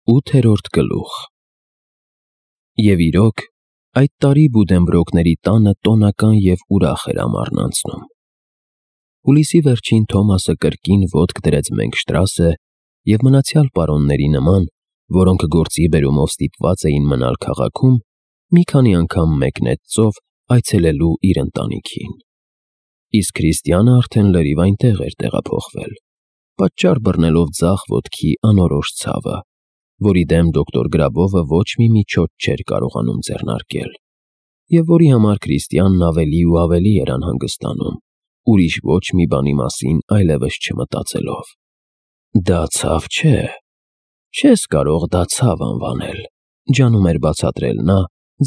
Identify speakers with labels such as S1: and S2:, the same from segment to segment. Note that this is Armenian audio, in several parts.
S1: 8-րդ գլուխ։ Եվ իրոք, այդ տարի Բուդենբրոկների տանը տոնական և ուրախ էր ամառն անցնում։ Հուլիսի վերջին Թոմասը կրկին ոտք դրեց Մենգշտրասե և մնացյալ պարոնների նման, որոնք գործի բերումով ստիպված էին մնալ քաղաքում, մի քանի անգամ մեկնեց ծով այցելելու իր ընտանիքին։ Իսկ Քրիստիանը արդեն լրիվ այնտեղ էր տեղափոխվել, պատճառ բռնելով ձախ ոտքի անորոշ ցավը, որի դեմ դոկտոր Գրաբովը ոչ մի միջոց չէր կարողանում ձեռնարկել, և որի համար Քրիստիանն ավելի ու ավելի էր անհանգստանում, ուրիշ ոչ մի բանի մասին այլևս չմտածելով։ Դա ցավ չէ, չես կարող դա ցավ անվանել, ջանում էր բացատրել նա,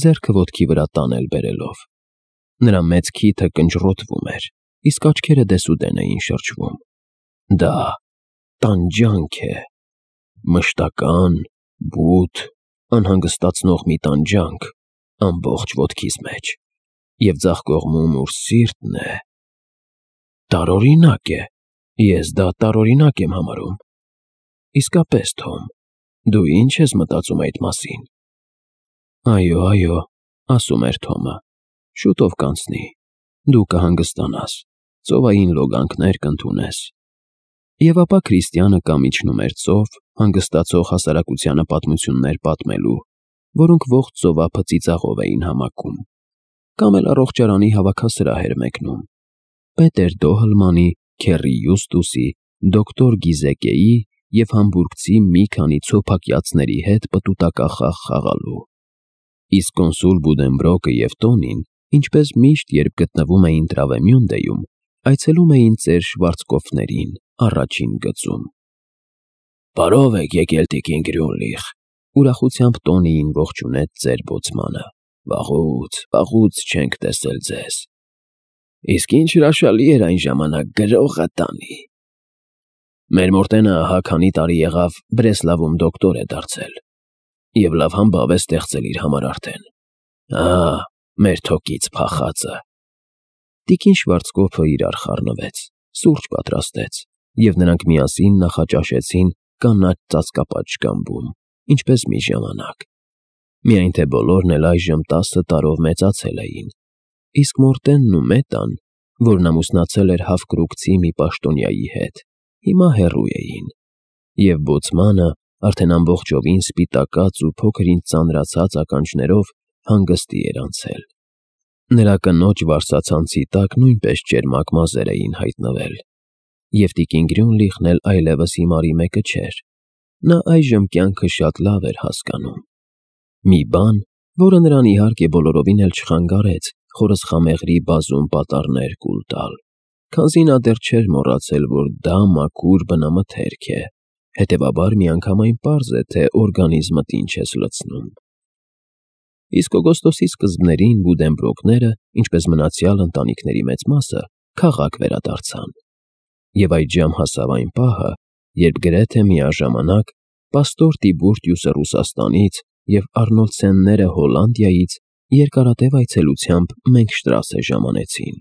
S1: ձեռքը ոտքի վրա տանել բերելով։ Նրա մեծ քիթը կնճռոտվում էր, իսկ աչքերը դեսուդեն էին շրջվում։ Դա տանջանք է, մշտական, բութ, անհանգստացնող մի տանջանք ամբողջ ոտքիս մեջ, և ձախ կողմում, ուր սիրտն է… Տարօրինակ է, ես դա տարօրինակ եմ համարում։ Իսկապես, Թոմ, դու ի՞նչ ես մտածում այդ մասին։ Այո, ասում էր Թոմը, շուտով կանցնի, դու կհանգստանաս, ծովային լոգանքներ կընդունես։ Եվ ապա Քրիստիանը կամ իջնում էր ծով, հանգստացող հասարակությանը պատմություններ պատմելու, որոնք ողջ ծովափը ծիծաղով էին համակում, կամ էլ առողջարանի հավաքասրահ էր մեկնում, Պետեր Դոհլմանի, Քերի Յուստուսի, դոկտոր Գիզեկեի և համբուրգցի մի քանի ցոփակյացների հետ պտուտակախաղ խաղալու։ Իսկ կոնսուլ Բուդենբրոկը և Տոնին, ինչպես միշտ, երբ գտնվում էին Տրավեմյունդեում, այցելում էին ծեր Շվարցկոֆներին առաջին գծում։ «Բարով եք եկել, տիկին Գրյունլիխ», ուրախությամբ Տոնիին ողջունեց ծեր բոցմանը։ «Վաղուց չենք տեսել ձեզ։ Իսկ ինչ հրաշալի էր այն ժամանակ գրողը տանի։ Մեր Մորտենը ահա քանի տարի եղավ Բրեսլավում դոկտոր է դարձել, և լավ համբավ է ստեղծել իր համար արդեն։ Մեր թոկից փախածը»։ Տիկին Շվարցկոֆը իրար խառնվեց, սուրճ պատրաստեց, և նրանք միասին նախաճաշեցին կանաչ ծածկապատ շկամբում, ինչպես մի ժամանակ։ Միայն թե բոլորն էլ այժմ 10 տարով մեծացել էին, իսկ Մորտենն ու Մետան, որն ամուսնացել էր Հավկրուկցի մի պաշտոնյայի հետ, հիմա հեռու էին, և բոցմանը արդեն ամբողջովին սպիտակած ու փոքր-ինչ ծանրացած ականջներով հանգստի էր անցել։ Նրա կնոջ վարսացանցի տակ նույնպես ճերմակ մազեր էին հայտնվել, և տիկին Գրյունլիխն էլ այլևս հիմարի մեկը չէր։ Նա այժմ կյանքը շատ լավ էր հասկանում։ Մի բան, որը նրան իհարկե բոլորովին էլ չխանգարեց խորսխամեղրի բազում պատառներ կուլ տալ, քանզի նա դեռ չէր մոռացել, որ դա մաքուր բնամթերք է, հետևաբար միանգամայն պարզ է, թե օրգանիզմդ ինչ ես լցնում։ Իսկ օգոստոսի սկզբներին Բուդենբրոկները, ինչպես մնացյալ ընտանիքների մեծ մասը, քաղաք վերադարձան։ Եվ այդժամ հասավ այն պահը, երբ գրեթե միաժամանակ պաստոր Տիբուրտիուսը Ռուսաստանից և Արնոլդսենները Հոլանդիայից երկարատև այցելությամբ Մենգշտրասե ժամանեցին։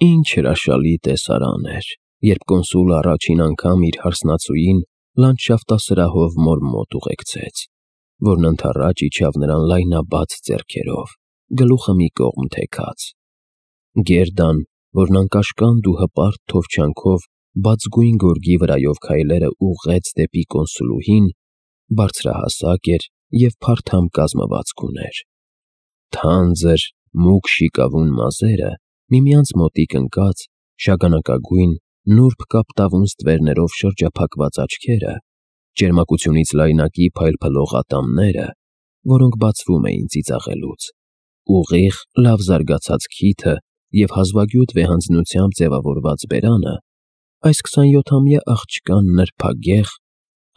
S1: Ինչ հրաշալի տեսարան էր, երբ կոնսուլը առաջին անգամ իր հարսնացուին լանդշաֆտասրահով մոտ ուղեկցեց, որն ընդառաջ իջավ նրան լայնաբաց ձեռքերով, գլուխը մի կողմ թեքած։ Գերդան, որն անկաշկանդ ու հպարտ թովչյանքով բացգույն գորգի վրայով քայլերը ուղղեց դեպի կոնսուլուհին, բարձրահասակ էր և փարթամ կազմվածք ուներ։ Թանձր, մուգ շիկավուն մազերը, միմյանց մոտիկ ընկած, շագանակագույն, նուրբ կապտավուն ստվերներով շրջափակված աչքերը, ճերմակությունից լայնակի փայլփլող ատամները, որոնք բացվում էին ծիծաղելուց, ուղիղ, լավ զարգացած քիթը և հազվագյուտ վեհանձնությամբ ձևավորված բերանը, այս 27-ամյա աղջկան նրբագեղ,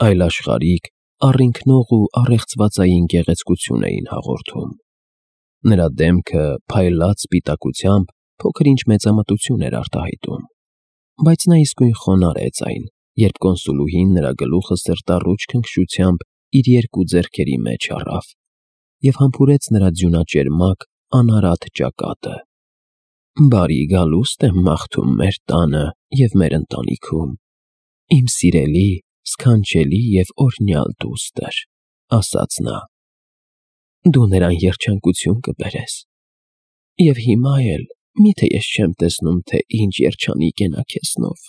S1: այլաշխարհիկ, առինքնող ու առեղծվածային գեղեցկություն էին հաղորդում։ Նրա դեմքը փայլած սպիտակությամբ փոքր-ինչ մեծամտություն էր արտահայտում, բայց նա իսկույն խոնարհեց այն, երբ կոնսուլուհին նրա գլուխը սրտառուչ քնքշությամբ իր երկու ձեռքերի մեջ առավ և համբուրեց նրա ձյունաճերմակ, անարատ ճակատը։ «Բարի գալուստ եմ մաղթում մեր տանը և մեր ընտանիքում, իմ սիրելի Սքանչելի և օրհնյալ դուստր, ասաց նա, դու նրան երջանկություն կբերես, և հիմա էլ միթե ես չեմ տեսնում, թե ինչ երջանիկ է նա քեզնով։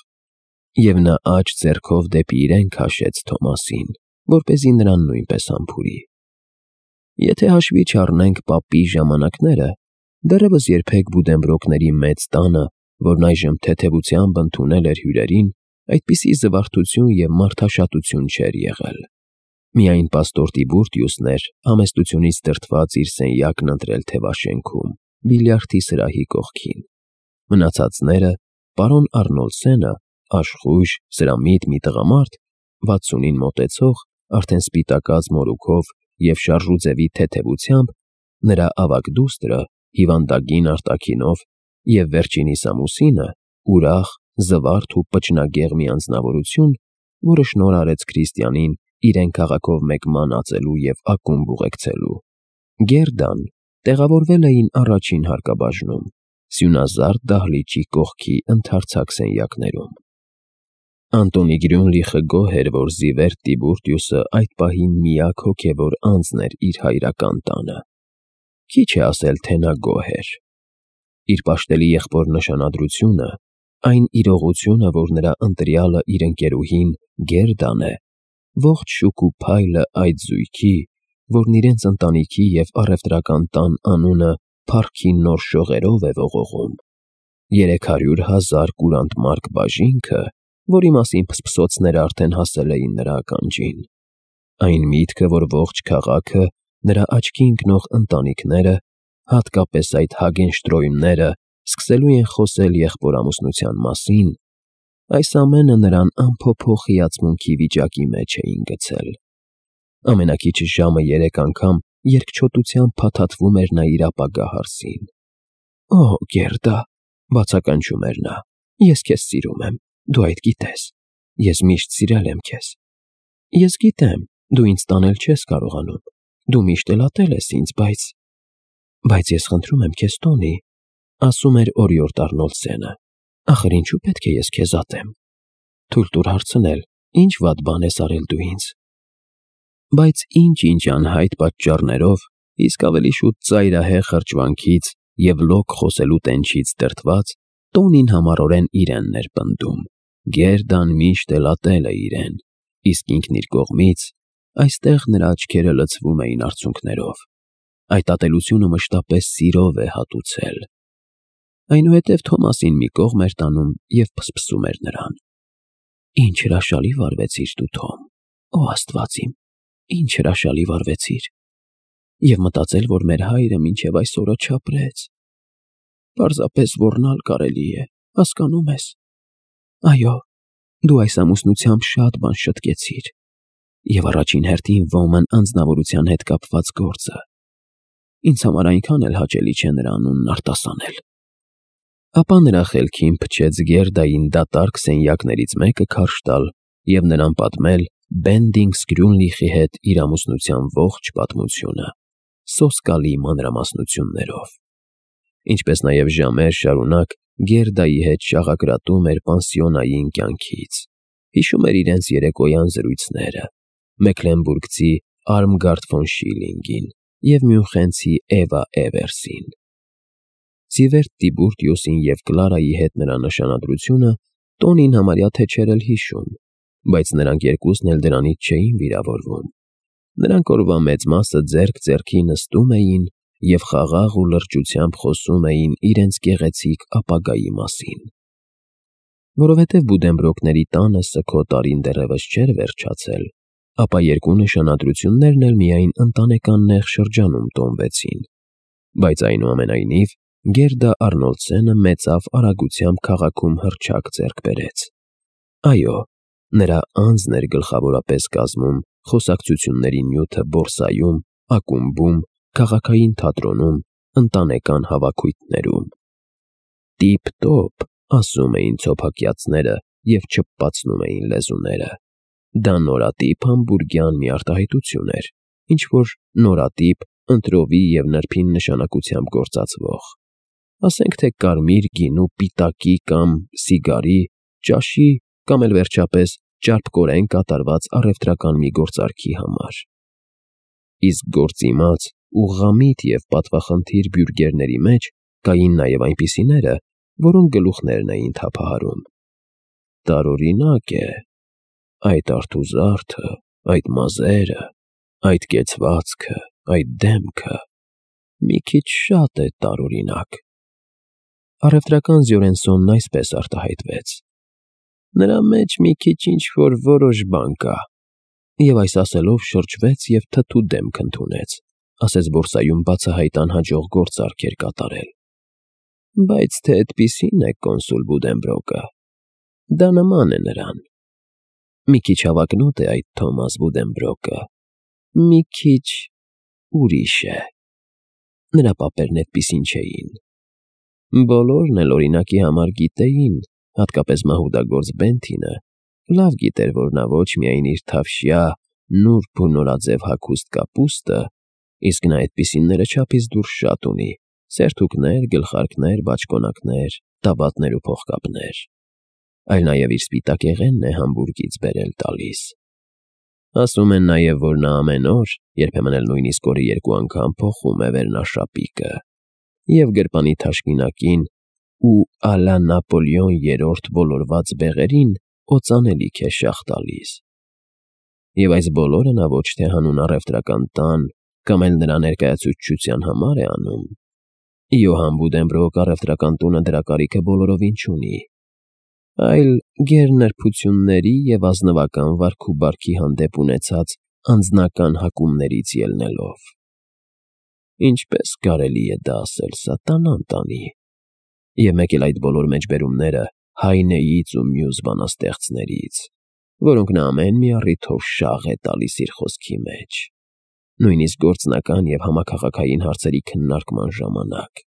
S1: Եվ նա աջ ձեռքով դեպի իրեն քաշեց Թոմասին, որպեսզի նրան նույնպես համբուրի։ Եթե հաշվի չառնենք պապի ժամանակները, դեռևս երբեք Բուդենբրոկների մեծ տանը, որն այժմ թեթևությամբ ընդունել էր հյուրերին, այդպիսի զվարթություն և մարդաշատություն չէր եղել։ Միայն պաստոր Տիբուրտիուսն էր համեստությունից դրդված իր սենյակն ընտրել թևաշենքում, բիլիարդի սրահի կողքին։ Մնացածները պարոն Առնոլսենը, աշխույժ, սրամիտ մի տղամարդ, 60-ին մոտեցող, արդեն սպիտակած մորուքով և շարժուձևի թեթևությամբ, նրա ավագ դուստրը, հիվանդագին արտաքինով, և վերջինիս ամուսինը, ուրախ, զվարթ ու պճնագեղ մի անձնավորություն, որը շնորհ արեց Քրիստիանին իրեն քաղաքով մեկ մանածելու և ակումբ ուղեկցելու։ Գերդան տեղավորվել էին առաջին հարկաբաժնում, սյունազարդ դահլիճի կողքի ընդարձակ սենյակներում։ Անտոնի Գրյունլիխը գոհ էր, որ Զիվերտ Տիբուրտիուսը այդ պահին միակ հոգևոր անձն էր իր հայրական տանը։ Քիչ է ասել, թե նա գոհ էր։ Իր պաշտելի եղբոր նշանադրությունը, այն իրողությունը, որ նրա ընտրյալը իր ընկերուհին Գերդան է, ողջ շուք ու փայլը այդ զույգի, որն իրենց ընտանիքի և առևտրական տան անունը փառքի նոր շողերով է ողողում, 300,000 կուրանտ մարկ բաժինքը, որի մասին փսփսոցները արդեն հասել էին նրա ականջին, այն միտքը, որ ողջ քաղաքը, նրա աչքի ընկնող ընտանիքները, հատկապես այդ Հագենշտրոյմները, սկսելու են խոսել եղբոր-ամուսնության մասին, այս ամենը նրան անփոփոխ հիացմունքի վիճակի մեջ էին գցել։ Ամենաքիչը ժամը 3 անգամ երկչոտությամբ փաթաթվում էր նա իր ապագա հարսին։ «Օ, Գերդա», բացականչում էր նա, «ես քեզ սիրում եմ, դու այդ գիտես, ես միշտ սիրել եմ քեզ։ Ես գիտեմ, դու ինձ տանել չես կարողանում, դու միշտ էլ ատել ես ինձ, բայց ես խնդրում եմ քեզ, Տոնի», ասում էր օրիորդ Առնոլսենը, «ախր ինչու պետք է ես քեզ ատեմ։ Թույլ տուր հարցնել, ինչ վատ բան ես արել դու ինձ»։ Բայց ինչ-ինչ անհայտ պատճառներով, իսկ ավելի շուտ ծայրահեղ խրճվանքից և լոկ խոսելու տենչից դրդված, Տոնին համառորեն իրենն էր պնդում։ Գերդան միշտ էլ ատել է իրեն, իսկ ինքն իր կողմից, այստեղ նրա աչքերը լցվում էին արցունքներով, այդ ատելությունը մշտապես սիրով է հատուցել։ Այնուհետև Թոմասին մի կողմ էր տանում և փսփսում էր նրան. «Ինչ հրաշալի վարվեցիր դու, Թոմ, օ Աստված իմ, ինչ հրաշալի վարվեցիր, և մտածել, որ մեր հայրը մինչև այս օրը չապրեց։ Պարզապես ոռնալ կարելի է, հասկանում ես։ Այո, դու այս ամուսնությամբ շատ բան շտկեցիր, և առաջին հերթին Ոման անձնավորության հետ կապված գործը։ Ինձ համար այնքան էլ հաճելի չէ նրա անունն արտասանել»։ Ապա նրա խելքին փչեց Գերդային դատարկ սենյակներից մեկը քարշ տալ և նրան պատմել Բենդինգս Գրյունլիխի հետ իր ամուսնության ողջ պատմությունը, սոսկալի մանրամասնություններով։ Ինչպես նաև ժամեր շարունակ Գերդայի հետ շաղակրատում էր պանսիոնային կյանքից, հիշում էր իրենց երեկոյան զրույցները, մեքլենբուրգցի Արմգարդ ֆոն Շիլինգին և մյունխենցի Էվա Էվերսին։ Զիվերտ Տիբուրտիուսին և Կլարայի հետ նրա նշանադրությունը Տոնին համարյա թե չէր էլ հիշում, բայց նրանք երկուսն էլ դրանից չէին վիրավորվում։ Նրանք օրվա մեծ մասը ձեռք ձեռքի նստում էին և խաղաղ ու լրջությամբ խոսում էին իրենց գեղեցիկ ապագայի մասին։ Որովհետև Բուդենբրոկների տանը Սքո տարին դեռևս չէր վերջացել, ապա երկու նշանադրություններն էլ միայն ընտանեկան նեղ շրջանում տոնվեցին, բայց այնուամենայնիվ Գերդա Առնոլսենը մեծավ արագությամբ քաղաքում հռչակ ձեռք բերեց։ Այո, նրա անձն էր գլխավորապես կազմում խոսակցությունների նյութը բորսայում, ակումբում, քաղաքային թատրոնում, ընտանեկան հավաքույթներում։ «Տիպ֊տոպ», ասում էին ցոփակյացները և չփպացնում էին լեզուները։ Դա նորատիպ համբուրգյան մի արտահայտություն էր, ինչ-որ նորատիպ ընտրովի և նրբին նշանակությամբ գործածվող, ասենք թե կարմիր գինու պիտակի կամ սիգարի, ճաշի կամ էլ վերջապես ճարպկորեն կատարված առևտրական մի գործարքի համար։ Իսկ գործիմաց ու ղամիտ և պատվախնդիր բյուրգերների մեջ կային նաև այնպիսիները, որոնք գլուխներն էին թափահարում։ Տարօրինակ է, այդ արթուզարդը, այդ մազերը, այդ կեցվածքը, այդ դեմքը, մի քիչ շատ է տարօրինակ։ Առևտրական Զորենսոնն այսպես արտահայտվեց. նրա մեջ մի քիչ ինչ-որ որոշ բան կա, և այս ասելով շրջվեց և թթու դեմք ընդունեց, ասես բորսայում բացահայտ անհաջող գործարք էր կատարել։ Բայց թե այդպիսին է կոնսուլ Բուդենբրոկը, դա նման է նրան։ Մի քիչ հավակնոտ է այդ Թոմաս Բուդենբրոկը, մի քիչ ուրիշ է։ Նրա պապերն այդպիսին չէին։ Բոլորն էլ օրինակի համար գիտեին, հատկապես մահուդագործ Բենթինը, լավ գիտեր, որ նա ոչ միայն իր թավշյա, նուրբ ու նորաձև հագուստ կապուստը, իսկ նա այդպիսինները չափից դուրս շատ ունի՝ սերթուկներ, գլխարկներ, բաճկոնակներ, տաբատներ ու փողկապներ, այլ նաև իր սպիտակ եղենն է Համբուրգից բերել տալիս։ Ասում են նաև, որ նա ամեն օր, երբեմն էլ նույնիսկ օրը 2 անգամ փոխում է վերնաշապիկը և գրպանի թաշկինակին ու ալա Նապոլեոն III ոլորված բեղերին օծանելիք է շաղ տալիս։ Եվ այս բոլորը նա ոչ թե հանուն առևտրական տան կամ էլ նրա ներկայացուցչության համար է անում։ Յոհան Բուդենբրոկ առևտրական տունը դրա կարիքը բոլորովին չունի, այլ գերնրբությունների և ազնվական վարք ու բարքի հանդեպ ունեցած անձնական հակումներից ելնելով։ Ինչպես կարելի է դա ասել սատանան տանի։ Եվ մեկ էլ այդ բոլոր մեջբերումները Հայնեից ու մյուս բանաստեղծներից, որոնք նա ամեն մի առիթով շաղ է տալիս իր խոսքի մեջ, նույնիսկ գործնական և համաքաղաքային հարցերի քննարկման ժամանակ։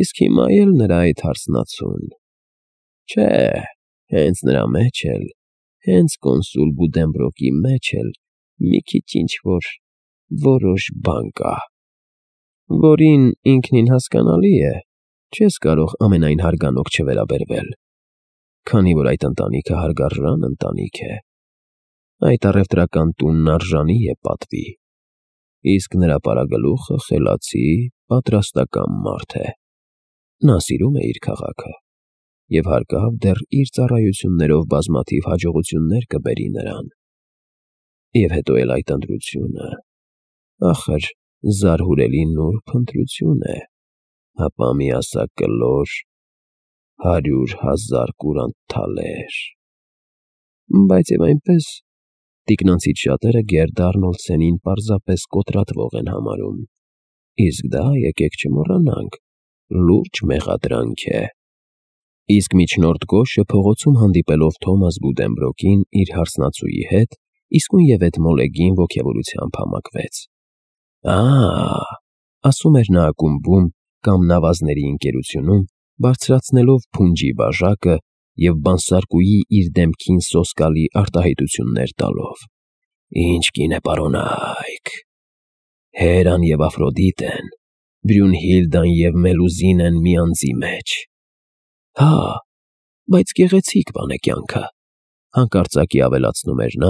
S1: Իսկ հիմա էլ նրա այդ հարցնացուն։ Չէ, հենց նրա մեջ էլ, հենց կոնսուլ Բուդենբրոկի մեջ էլ մի քիչ ինչ-որ որոշ բան կա, որին ինքնին հասկանալի է, չես կարող ամենայն հարգանոք չվերաբերվել, քանի որ այդ ընտանիքը հարգարժան ընտանիք է։ Այդ առևտրական տունն արժանի է պատվի, իսկ նրա պարագլուխը խելացի, պատրաստակամ մարդ է։ Նա սիրում է իր քաղաքը և հարկավ դեռ իր ծառայություններով բազմաթիվ հաջողություններ կբերի նրան։ Եվ հետո էլ այդ ընտրությունը, ախր զարհուրելի նուրբ ընտրություն է, հապա միասակ կլոր 100,000 կուրանտ թալեր։ Բայց և այնպես տիկնանցից շատերը Գերդա Արնոլդսենին պարզապես կոտրատվող են համարում, իսկ դա, եկեք չմոռանանք, լուրջ մեղադրանք է։ Իսկ միջնորդ Գոշը փողոցում հանդիպելով Թոմաս Բուդենբրոկին իր հարսնացուի հետ, իսկույնև էդ մոլեգին ոգևորությամբ համակվեց։ Ասում էր նա ակումբում կամ նավազների ընկերությունում, բարձրացնելով փունջի բաժակը և բանսարկուի իր դեմքին սոսկալի արտահայտություններ տալով. Ինչ կին է, պարոնայք, Հերան և Աֆրոդիտեն, Բրյունհիլդան և Մելուզինեն մի անձի մեջ։ Հա, բայց գեղեցիկ բան է կյանքը, հանկարծակի ավելացնում էր նա,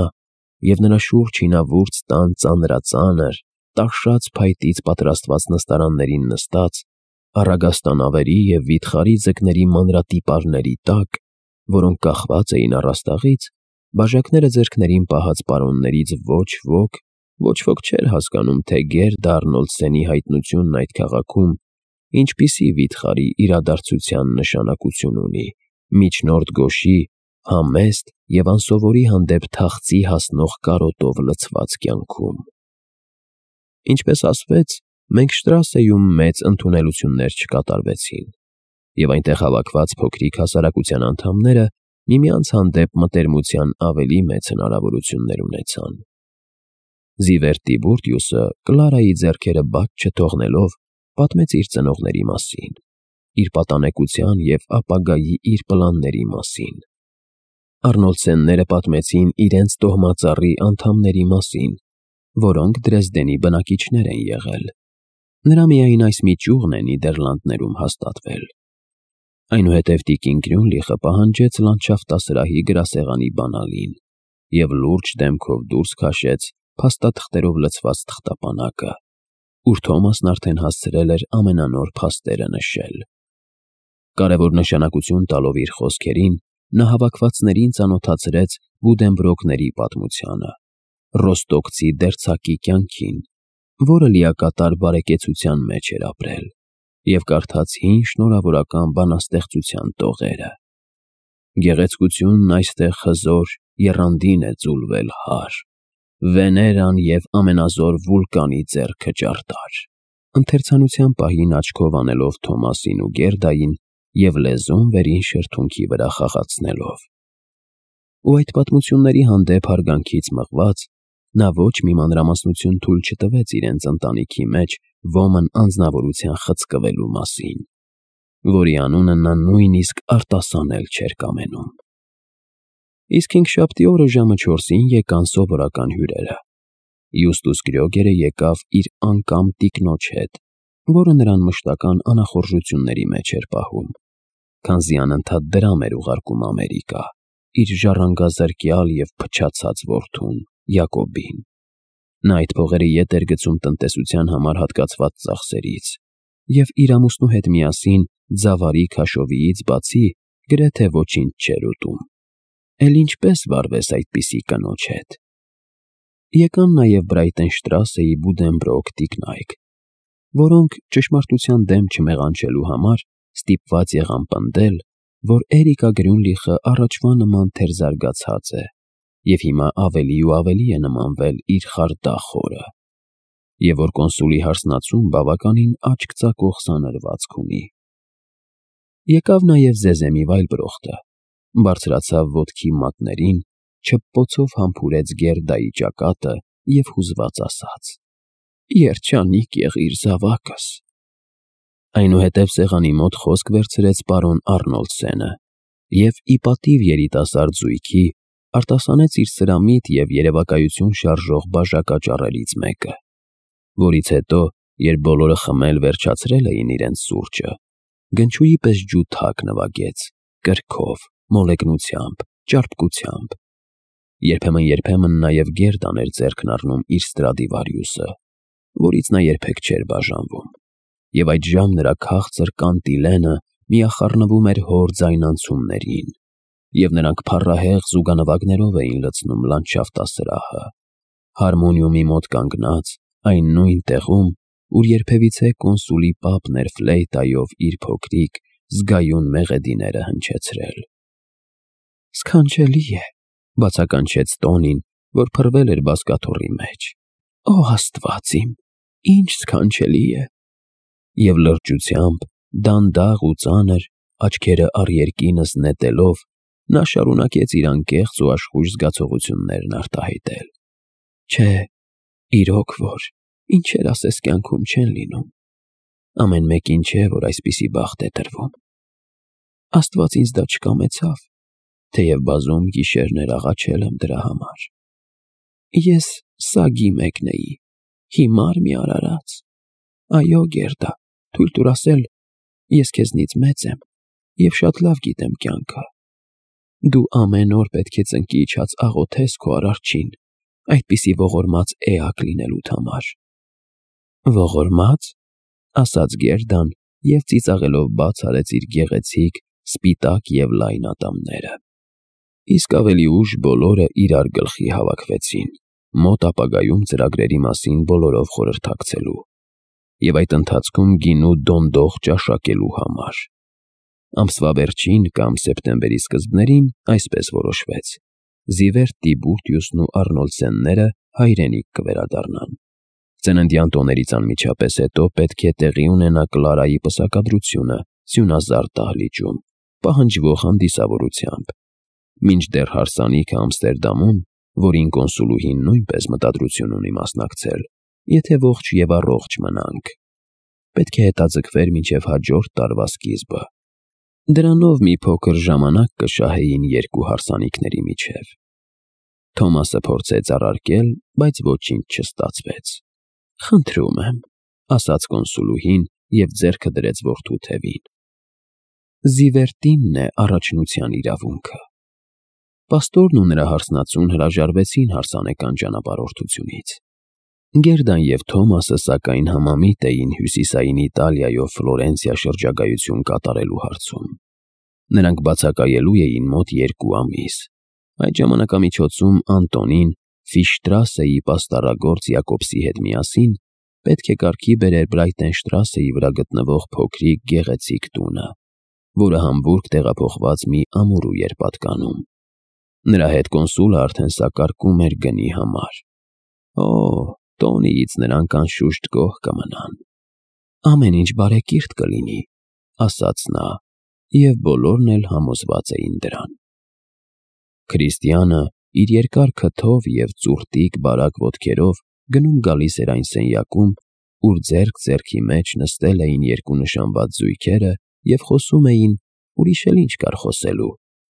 S1: և նրա շուրջ հինավուրց տան ծանրածանր, տաշած փայտից պատրաստված նստարաններին նստած, առագաստանավերի և վիթխարի ձկների մանրատիպարների տակ, որոնք կախված էին առաստաղից, բաժակները ձեռքներին պահած պարոններից ոչ ոք չէր հասկանում, թե Գերդա Արնոլդսենի հայտնությունն այդ քաղաքում ինչպիսի վիթխարի իրադարձության նշանակություն ունի միջնորդ Գոշի համեստ և անսովորի հանդեպ թախծի հասնող կարոտով լցված կյանքում։ Ինչպես ասվեց, մենք Շտրասեում մեծ ընդունելություններ չկատարվեցին, և այնտեղ հավաքված փոքրիկ հասարակության անդամները միմյանց հանդեպ մտերմության ավելի մեծ հնարավորություններ ունեցան։ Զիվերտ Տիբուրտիուսը Կլարայի ձեռքերը բաց չթողնելով պատմեց իր ծնողների մասին, իր պատանեկության և ապագայի իր պլանների մասին։ Արնոլդսենները պատմեցին իրենց տոհմածառի անդամների մասին, որոնք Դրեզդենի բնակիչներ են եղել։ Նրա միայն այս մի ճյուղն է Նիդերլանդներում հաստատվել։ Այնուհետև տիկին Գրյունլիխը պահանջեց լանդշաֆտասրահի գրասեղանի բանալին և լուրջ դեմքով դուրս քաշեց փաստաթղթերով լցված թղթապանակը, ուր Թոմասն արդեն հասցրել էր ամենանոր փաստերը նշել։ Կարևոր նշանակություն տալով իր խոսքերին, նա հավաքվածներին ծանոթացրեց Բուդենբրոկների պատմությանը, ռոստոկցի դերձակի կյանքին, որը լիակատար բարեկեցության մեջ էր ապրել, և կարդաց հին շնորհավորական բանաստեղծության տողերը. «Գեղեցկությունն այստեղ խզոր եռանդին է ձուլվել հար, Վեներան և ամենազոր Վուլկանի ձեռքը ճարտար»։ Ընթերցանության պահին աչքով անելով Թոմասին ու Գերդային և լեզուն վերին շրթունքի վրա խաղացնելով։ Ու այդ պատմությունների հանդեպ հարգանքից մղված, նա ոչ մի մանրամասնություն թույլ չտվեց իրենց ընտանիքի մեջ ոմն անձնավորության խցկվելու մասին, որի անունը նա նույնիսկ արտասանել չէր կամենում։ Իսկ հինգշաբթի օրը ժամը 4-ին եկան սովորական հյուրերը։ Յուստուս Գրյոգերը եկավ իր անկամ տիկնոջ հետ, որը նրան մշտական անախորժությունների մեջ էր պահում, քանզի անընդհատ դրամ էր ուղարկում Ամերիկա իր ժառանգազրկյալ և փչացած որդուն Յակոբին։ Նա այդ փողերը ետ էր գցում տնտեսության համար հատկացված ծախսերից և իր ամուսնու հետ միասին ձավարի քաշովիից բացի գրեթե ոչինչ չէր ուտում։ Էլ ինչպես վարվես այդպիսի կնոջ հետ։ Եկան նաև Բրայտենշտրասեի Բուդենբրոկ տիկնայք, որոնք ճշմարտության դեմ չմեղանչելու համար ստիպված եղան պնդել, որ Էրիկա Գրյունլիխը առաջվա նման թերզարգացած է և հիմա ավելի ու ավելի է նմանվել իր խարդախ հորը, և որ կոնսուլի հարսնացուն բավականին աչք ծակող սանրվածք ունի։ Եկավ նաև Զեզեմի Վայլբրոխտը, բարձրացավ ոտքի մատներին, չփոցով համբուրեց Գերդայի ճակատը և հուզված ասաց. «Երջանիկ եղիր, զավակս»։ Այնուհետև սեղանի մոտ խոսք վերցրեց պարոն Առնոլդսենը և ի պատիվ երիտասարդ զույգի արտասանեց իր սրամիտ և երևակայություն շարժող բաժակաճառերից մեկը, որից հետո, երբ բոլորը խմել վերջացրել էին իրենց սուրճը, գնչուի պես ջութակ նվագեց, կրքով, մոլեգնությամբ, ճարպկությամբ։ Երբեմն նաև Գերդան էր ձեռքն առնում իր Ստրադիվարիուսը, որից նա երբեք չէր բաժանվում, և այդժամ նրա քաղցր կանտիլենը միախառնվում էր հոր ձայնանցումներին, և նրանք փառահեղ զուգանվագներով էին լցնում լանդշաֆտասրահը, հարմոնիումի մոտ կանգնած այն նույն տեղում, ուր երբևիցե կոնսուլի պապն էր ֆլեյտայով իր փոքրիկ, զգայուն մեղեդիները հնչեցրել։ «Սքանչելի է», բացականչեց Տոնին, որ փռվել էր բազկաթոռի մեջ։ «Օ Աստված իմ, ինչ սքանչելի է»։ Եվ լրջությամբ, դանդաղ ու ծանր, աչքերը առերկինս նետելով, նա շարունակեց իր անկեղծ ու աշխույժ զգացողություններն արտահայտել։ Չէ, իրոք որ, ինչեր ասես կյանքում չեն լինում։ Ամեն մեկին չէ, որ այսպիսի բախտ է տրվում։ Աստված ինձ դա չկամեցավ, թեև բազում գիշերներ աղաչել եմ դրա համար։ Ես սագի մեկն էի, հիմար մի արարած։ Այո, Գերդա, թույլ տուր ասել, ես քեզնից մեծ եմ և շատ լավ գիտեմ կյանքը։ Դու ամեն օր պետք է ծնկի իջած աղոթես քո Արարչին, այդպիսի ողորմած էակ լինելուդ համար։ Ողորմա՞ծ, ասաց Գերդան և ծիծաղելով բաց արեց իր գեղեցիկ, սպիտակ և լայն ատամները։ Իսկ ավելի ուշ բոլորը իրար գլխի հավաքվեցին, մոտ ապագայում ծրագրերի մասին բոլորով խորհրդակցելու և այդ ընթացքում գինու դոնդող ճաշակելու համար։ Ամսվա վերջին կամ սեպտեմբերի սկզբներին այսպես որոշվեց. Զիվերտ Տիբուրտիուսն ու Առնոլդսենները հայրենիք կվերադառնան։ Ծննդյան տոներից անմիջապես հետո պետք է տեղի ունենա Կլարայի պսակադրությունը Սյունազար դահլիճում, պահանջվող հանդիսավորությամբ, մինչդեռ հարսանիքը Ամստերդամում, որին կոնսուլուհին նույնպես մտադրություն ունի մասնակցել, եթե ողջ և առողջ մնանք, պետք է հետաձգվեր մինչև հաջորդ տարվա սկիզբը։ Դրանով մի փոքր ժամանակ կշահեին երկու հարսանիքների միջև։ Թոմասը փորձեց առարկել, բայց ոչինչ չստացվեց։ Խնդրում եմ, ասաց կոնսուլուհին և ձեռքը դրեց որդու թևին։ Զիվերտինն է առաջնության իրավունքը։ Պաստորն ու նրա հարսնացուն հրաժարվեցին հարսանեկան ճանապարհորդությունից։ Գերդան և Թոմասը, սակայն, համամիտ էին հյուսիսային Իտալիայով Ֆլորենցիա շրջագայություն կատարելու հարցում։ Նրանք բացակայելու էին մոտ 2 ամիս։ Այդ ժամանակամիջոցում Անտոնին Ֆիշտրասեի պաստառագործ Յակոբսի հետ միասին պետք է կարգի բերեր Բրայտենշտրասեի վրա գտնվող փոքրիկ գեղեցիկ տունը, որը Համբուրգ տեղափոխված մի ամուրու էր պատկանում։ Նրա հետ կոնսուլը արդեն սակարկում էր գնի համար։ Տոնիից նրանք անշուշտ գոհ կմնան։ Ամեն ինչ բարեկիրթ կլինի, ասաց նա, և բոլորն էլ համոզված էին դրան։ Քրիստիանը իր երկար քթով և ծուռտիկ բարակ ոտքերով գնում-գալիս էր այն սենյակում, ուր ձեռք ձեռքի մեջ նստել էին 2 նշանված զույգերը և խոսում էին, ուրիշ էլ ինչ կար խոսելու,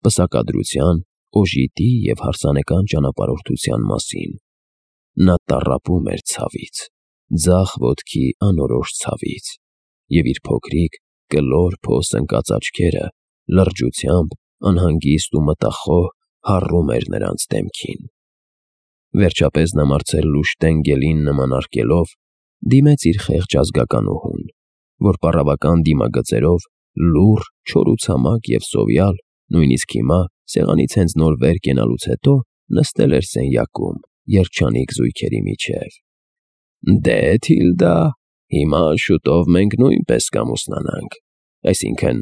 S1: պսակադրության, օժիտի և հարսանեկան ճանապարհորդության մասին։ Նա տառապում էր ցավից, ձախ ոտքի անորոշ ցավից, և իր փոքրիկ, կլոր փոս ընկած աչքերը լրջությամբ, անհանգիստ ու մտախոհ հառում էր նրանց դեմքին։ Վերջապես նա Մարցել Շտենգելին նմանարկելով դիմեց իր խեղճ ազգականուհուն, որ պառավական դիմագծերով, լուռ, չորուցամաք և սովյալ, նույնիսկ հիմա, սեղանից հենց նոր վեր կենալուց հետո, նստել էր սենյակում, երջանիկ զույգերի միջև։ «Դե, Թիլդա, հիմա շուտով մենք նույնպես կամուսնանանք, այսինքն՝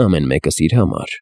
S1: ամեն մեկս իր համար,